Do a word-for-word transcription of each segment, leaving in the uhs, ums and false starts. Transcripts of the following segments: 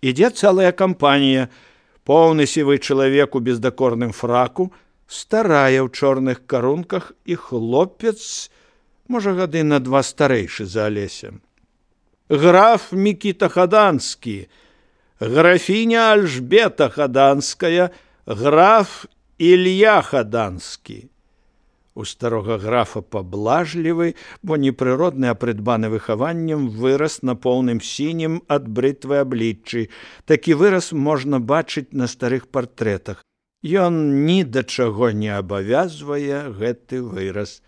Ідзе цэлая кампанія. Поўны сівы чалавек у бездакорным фраку, старая ў чорных карунках і хлопец, можа, гады на два старэйшы за Алеся. Граф Мікіта Хаданскі, графіня Альжбета Хаданская, граф Ілья Хаданскі. У старога графа паблажлівы, бо непрыродны, а прыдбаны выхаваннем, вырас на поўным сінім ад брытвы абліччы. Такі выраз можна бачыць на старых партрэтах. Ён ні да чаго не абавязвае гэты выраз.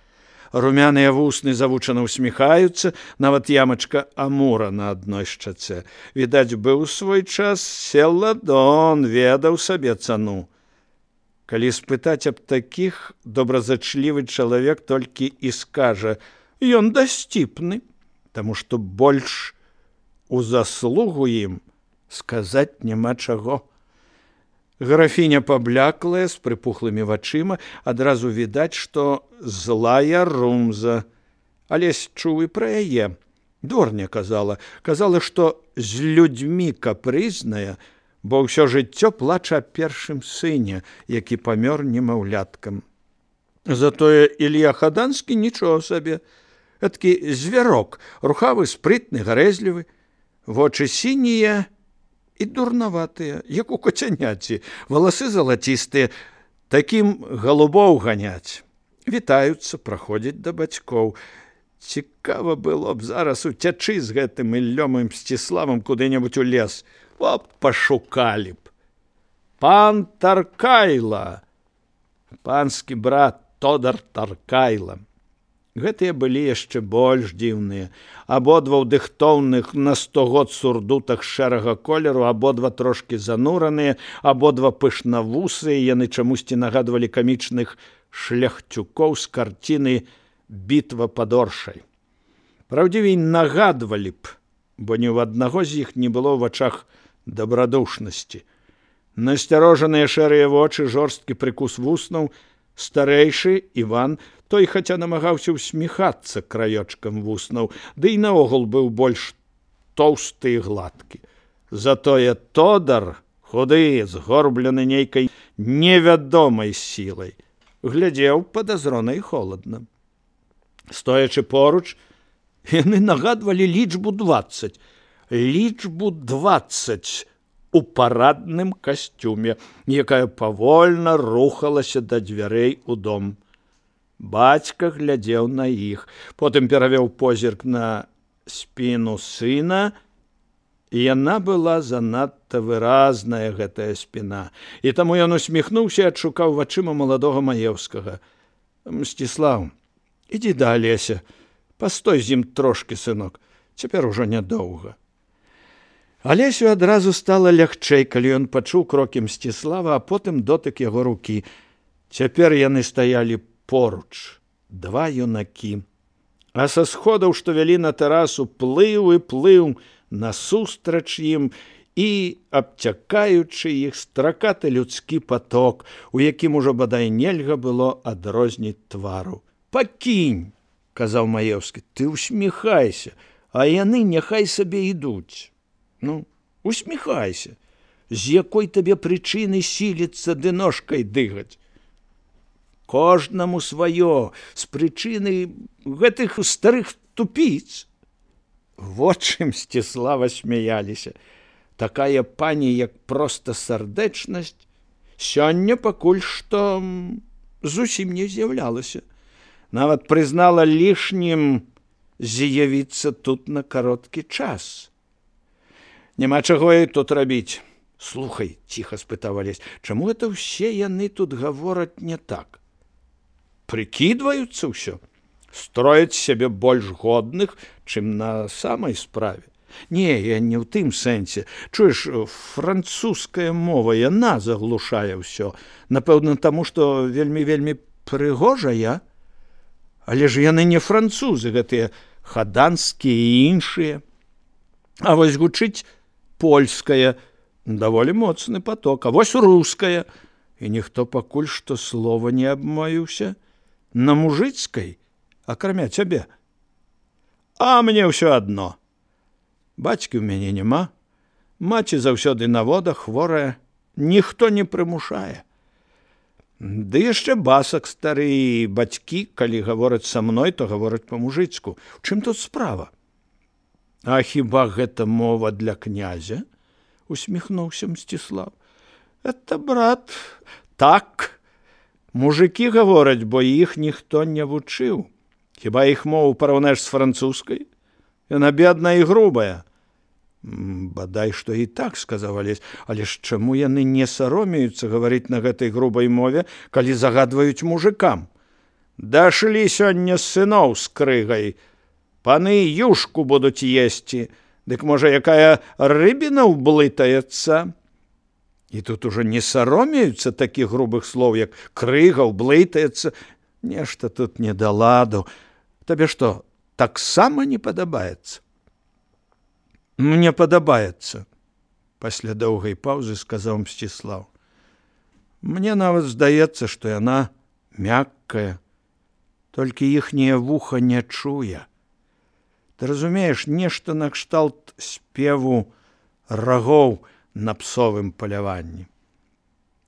Румяныя вусны завучана усміхаюцца, нават ямачка амура на адной шчацэ. Відаць, быў свой час селадон, ведаў сабе цану. Калі спытаць аб такіх, добразачлівы чалавек толькі і скажа: «Ён дасціпны», таму што больш у заслугу ім сказаць няма чаго. Графіня пабляклая, з прыпухлымі вачыма, адразу відаць, што злая румза. Алесь чуў і пра яе. Дворня казала, казала, што з людзьмі капрызная, бо ўсё жыццё плача аб першым сыне, які памёр немаўляткам. Затое Ілья Хаданскі нічого сабе. Гэтакі звярок, рухавы, спрытны, гарэзлівы, вочы сінія і дурнаватыя, як у кацяняці, валасы залацістыя, такім галубоў ганяць. Вітаюцца, праходзяць да бацькоў. Цікава было б зараз уцячы з гэтым Іллём Мсціславам куды-небудзь у лес. О, пашукалі б. Пан Таркайла, панскі брат Тодар Таркайла. Гэтыя былі яшчэ больш дзіўныя. Абодва ў дыхтоўных на сто год сурдутах шэрага колеру, абодва трошкі занураныя, абодва пышнавусыя, яны чамусьці нагадвалі камічных шляхцюкоў з карціны «Бітва пад Оршай». Праўдзівей, нагадвалі б, бо ні ў аднаго з іх не было ў вачах дабрадушнасці. Насцярожаныя шэрыя вочы, жорсткі прыкус вуснаў, старэйшы Іван, той хаця намагаўся ўсміхацца краёчкам вуснаў, ды і наогул быў больш тоўсты і гладкі. Затое Тодар, худы, згорблены нейкай невядомай сілай, глядзеў падазрона і холадна. Стоячы поруч, яны нагадвалі лічбу дваццаць. Лічбу дваццаць у парадным касцюме, якая павольна рухалася да дзвярэй у дом. Бацька глядзеў на іх, потым перавёў позірк на спіну сына, і яна была занадта выразная, гэтая спіна, і таму ён усміхнуўся і адшукаў вачыма маладога Маеўскага. «Мсціслаў, ідзі да Алеся, пастой з ім трошкі, сынок, цяпер ужо нядоўга». Алесю адразу стала лягчэй, калі ён пачуў крокі Мсціслава, а потым дотык яго рукі. Цяпер яны стаялі поруч, два юнакі. А са сходаў, што вялі на тэрасу, плыў і плыў насустрач ім і, абцякаючы іх, стракаты людскі паток, у якім ужо бадай нельга было адрозніць твару. «Пакінь», – казаў Маеўскі, – «ты усміхайся, а яны няхай сабе ідуць. Ну, усміхайся, з якой табе прычыны сіліцца ды ножкай дыгаць. Кожнаму сваё, з прычыны гэтых старых тупіц». Вочы Мсціслава смяяліся. Такая пані, як проста сардэчнасць, сёння пакуль што зусім не з'яўлялася. Нават прызнала лішнім з'явіцца тут на кароткі час. «Няма чаго і тут рабіць». «Слухай», – ціха спытаў Алесь, – «чаму гэта ўсе яны тут гавораць не так? Прыкідваюцца ўсё? Строяць сябе больш годных, чым на самай справе? Не, я не ў тым сэнсе. Чуеш, французская мова, яна заглушае ўсё. Напэўна, таму, што вельмі-вельмі прыгожая. Але ж яны не французы, гэтыя хаданскія і іншыя. А вось гучыць польская, даволі моцны поток, а вось руская, і ніхто пакуль што слова не абмовіўся на мужыцкай, акрамя цябе. А мне ўсё адно. Бацькі ў мяне няма, Маці заўсёды на водах, хворая, ніхто не прымушае. Ды яшчэ басак стары, і бацькі, калі гавораць са мной, то гавораць па-мужыцку. У чым тут справа? А хіба гэта мова для князя? Усміхнуўся Мсціслаў. Это, брат, так. Мужыкі гавораць, бо іх ніхто не вучыў. Хіба іх мову параўнаеш з французскай? Яна бедная і грубая. Бадай, што і так, сказаў Алесь, але ж чаму яны не саромеюцца гаварыць на гэтай грубай мове, калі загадваюць мужыкам? Дашлі сёння сыноў з крыгай. Паны юшку будуць есці. Дык, можа, якая рыбіна ўблытаецца? І тут ужо не саромеюцца такіх грубых слоў, як крыга, ўблытаецца. Нешта тут не да ладу. Табе што, таксама не падабаецца? Мне падабаецца, пасля доўгай паўзы сказаў Мсціслаў. Мне нават здаецца, што яна мяккая, толькі іхняе вуха не чуе. Ты разумееш, нешта накшталт спеву рагоў на псовым паляванні.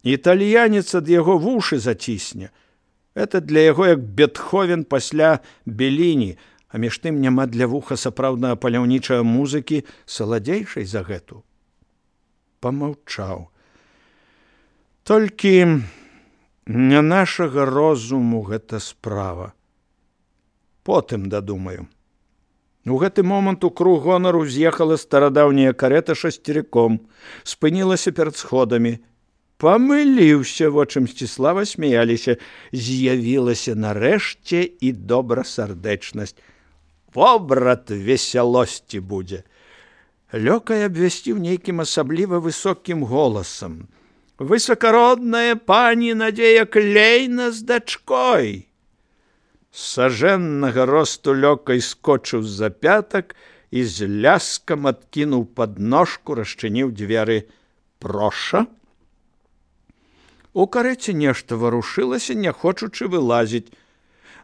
Італьянец ад яго вушы зацісне. Это для яго як Бетховен пасля Беліні, а між тым няма для вуха сапраўднага паляўнічага музыкі саладзейшай за гэту. Памаўчаў. Толькі не нашага розуму гэта справа. Потым дадумаю. У гэты момант у круг гонару з'ехала старадаўняя карета шасцеріком, спынілася перад сходамі. Памыліўся, вочы Мсціслава смяяліся. З'явілася нарэшце і добрасардэчнасць. Во, брат, весялосці будзе. Лёкай абвясціў нейкім асабліва высокім голасам. Высакародная пані Надзея Клейна з дачкой. Сажэннага росту Лёкай скочыў з-за пятак і з ляскам адкінуў падножку, расчыніў дзверы. Проша? У карэце нешта варушылася, не хочучы вылазіць.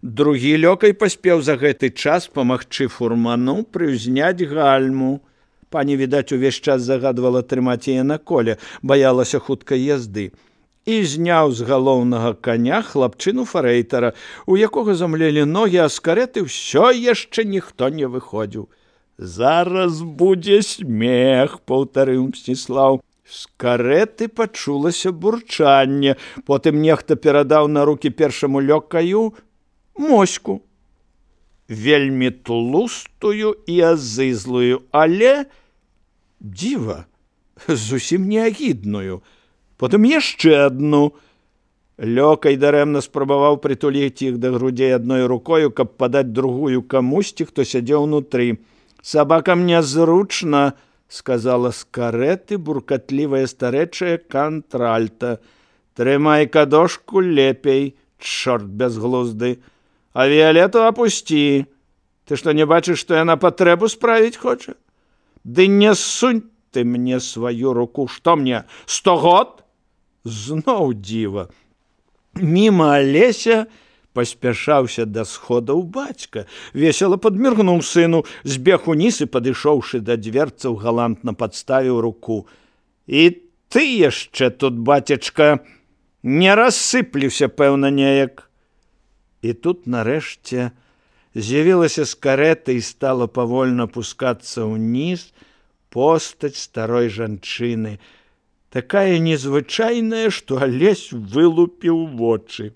Другі Лёкай паспеў за гэты час памагчы фурману прыўзняць гальму. Пані, відаць, увесь час загадвала трымаць яе на коле, баялася хуткай язды. І зняў з галоўнага каня хлапчыну фарэйтара, у якога замлелі ногі, а з карэты ўсё яшчэ ніхто не выходзіў. Зараз будзе смех, паўтарыў Мсціслаў. З карэты пачулася бурчанне, потым нехта перадаў на рукі першаму Лёкаю моську. Вельмі тлустую і азызлую, але, дзіва, зусім не агідную. Потым яшчэ адну. Лёкай дарэмна спрабаваў прытуліць іх да грудзей адной рукою, каб падаць другую камусьці, хто сядзеў унутры. Сабакам нязручна, сказала з карэты буркатлівая старэчая кантральта. Трымай кадошку лепей, чорт бязглузды. А Віалету апусці. Ты што, не бачыш, што яна патрэбу справіць хоча? Ды не сунь ты мне сваю руку. Што мне, сто год? Зноў дзіва. Міма Алеся паспяшаўся да сходаў бацька. Весела падміргнуў сыну, збег уніз і, падышоўшы да дверцаў, галантна падставіў руку. І ты яшчэ тут, бацечка, не рассыплюся, пэўна, неяк. І тут, нарэшце, з'явілася з карэты і стала павольна пускацца ўніз постаць старой жанчыны, такая незвычайная, што Алесь вылупіў вочы.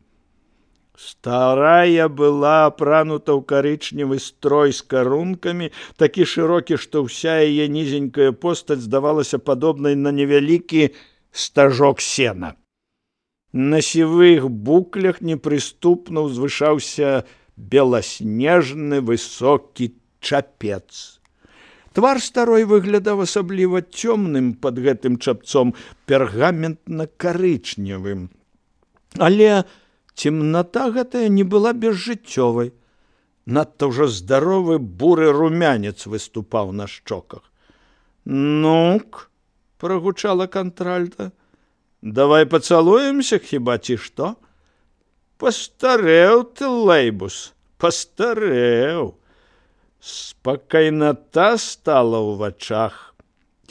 Старая была апранута ў карычневы строй з карункамі, такі шырокі, што ўся яе нізенькая постаць здавалася падобнай на невялікі стажок сена. На сівых буклях непрыступна ўзвышаўся беласнежны высокі чапец. Твар старой выглядаў асабліва цёмным пад гэтым чапцом, пергаментна-карычневым. Але цемната гэтая не была безжыццёвай. Надта ўжо здаровы буры румянец выступаў на шчоках. «Ну-к», – прагучала кантральта, – «давай пацалуемся, хіба ці што?» «Пастарэў ты, Лэйбус, пастарэў». Спакайната стала ў вачах.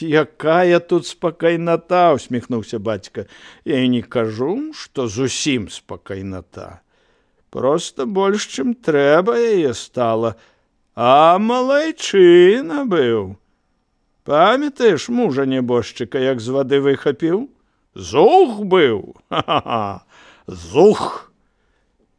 Якая тут спакайната, усміхнуўся бацька. Я і не кажу, што зусім спакайната. Просто больш, чым трэба яе стала. А малайчына быў. Памятаеш мужа нябожчыка, як з вады выхапіў? Зух быў! Ха-ха-ха! Зух!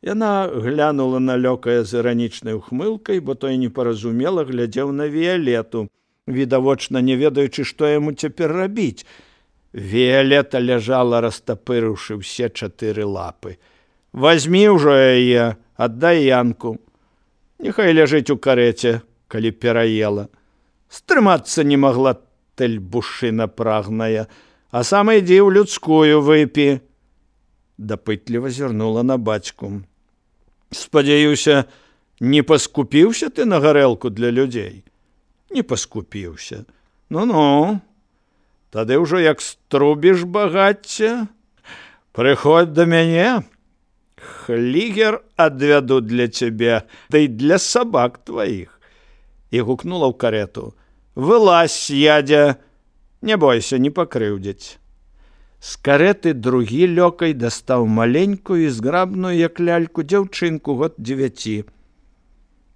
Яна глянула на Лёкая з іранічнай ухмылкай, бо той непаразумела глядзеў на Віялету, відавочна не ведаючы, што яму цяпер рабіць. Віялета ляжала, растапырыўшы ўсе чатыры лапы. Вазьмі ўжо яе, аддай Янку. Няхай ляжыць у карэце, калі пераела. Стрымацца не магла тэльбушына прагная, а сам ідзі ў людскую выпі. Дапытліва зірнула на бацьку. Спадзяюся, не паскупіўся ты на гарэлку для людзей? Не паскупіўся. Ну-ну, тады ўжо як струбіш багацця, прыходзь да мяне, хлігер адвяду для цябе, да і для сабак тваіх. І гукнула ў карету. Вылазь, ядзя, не бойся, не пакрыўдзяць. З кареты другі Лёкай дастаў маленькую і зграбную, як ляльку, дзяўчынку год дзевяці.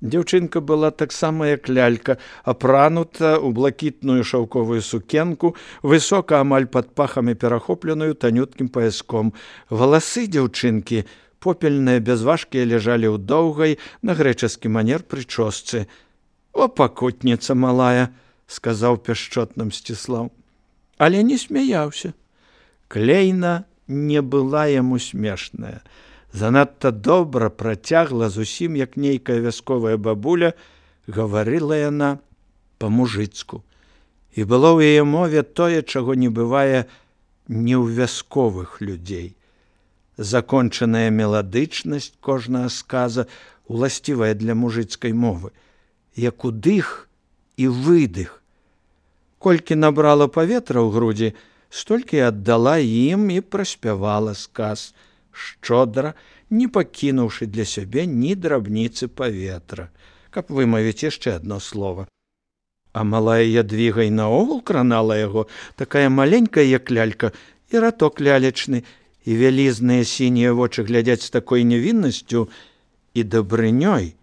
Дзяўчынка была таксама, як лялька, апранута ў блакітную шаўковую сукенку, высока амаль пад пахамі перахопленую танюткім паяском. Валасы дзяўчынкі, попельныя, бязважкія, ляжалі ў доўгай, на грэчаскі манер прычосцы. «О, пакутніца малая», – сказаў пяшчотна Мсціслаў. Але не смяяўся. Клейна не была яму смешная. Занадта добра працягла, зусім як нейкая вясковая бабуля, гаварыла яна па-мужыцку. І было ў яе мове тое, чаго не бывае не ў вясковых людзей. Закончаная меладычнасць кожнага сказа, уласцівая для мужыцкай мовы, як удых і выдых. Колькі набрала паветра ў грудзі, столькі аддала ім і праспявала сказ, шчодра, не пакінуўшы для сябе ні драбніцы паветра, каб вымавіць яшчэ адно слова. А малая Ядвіга і наогул кранала яго, такая маленькая, як лялька, і раток лялечны, і вялізныя сінія вочы глядзяць з такой невіннасцю і дабрынёй,